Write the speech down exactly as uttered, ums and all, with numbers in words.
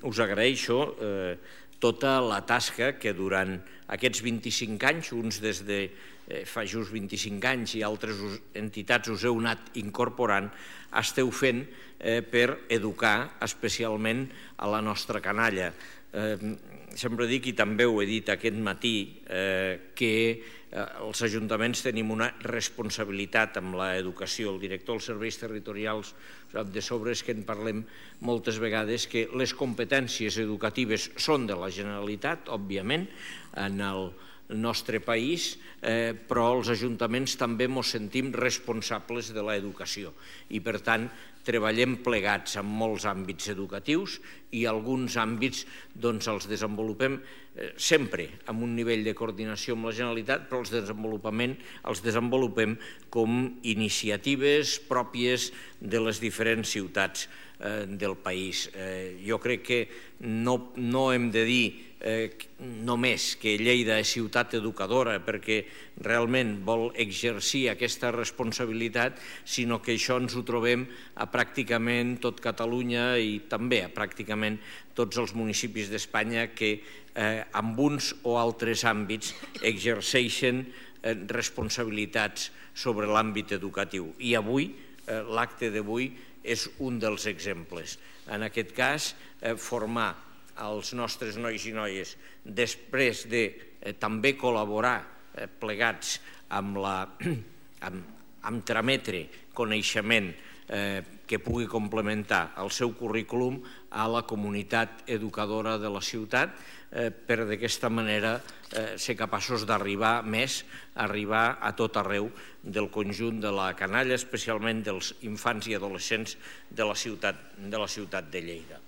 us agraeixo tota la tasca que durant aquests vint-i-cinc anys, uns des de fa just vint-i-cinc anys i altres entitats us heu anat incorporant, esteu fent per educar especialment a la nostra canalla. Sempre dic, i també ho he dit aquest matí, que els ajuntaments tenim una responsabilitat amb l'educació. El director dels serveis territorials sap de sobres que en parlem moltes vegades, que les competències educatives són de la Generalitat, òbviament, en el nostre país, però els ajuntaments també ens sentim responsables de l'educació i, per tant, treballem plegats en molts àmbits educatius i alguns àmbits els desenvolupem sempre amb un nivell de coordinació amb la Generalitat, però els desenvolupem com iniciatives pròpies de les diferents ciutats del país. Jo crec que no hem de dir només que Lleida és ciutat educadora perquè realment vol exercir aquesta responsabilitat, sinó que això ens ho trobem a pràcticament tot Catalunya i també a pràcticament tots els municipis d'Espanya que en uns o altres àmbits exerceixen responsabilitats sobre l'àmbit educatiu. I avui, l'acte d'avui, és un dels exemples. En aquest cas, formar els nostres nois i noies, després de també col·laborar plegats amb trametre coneixement que pugui complementar el seu currículum a la comunitat educadora de la ciutat, per d'aquesta manera ser capaços d'arribar més, arribar a tot arreu del conjunt de la canalla, especialment dels infants i adolescents de la ciutat de Lleida.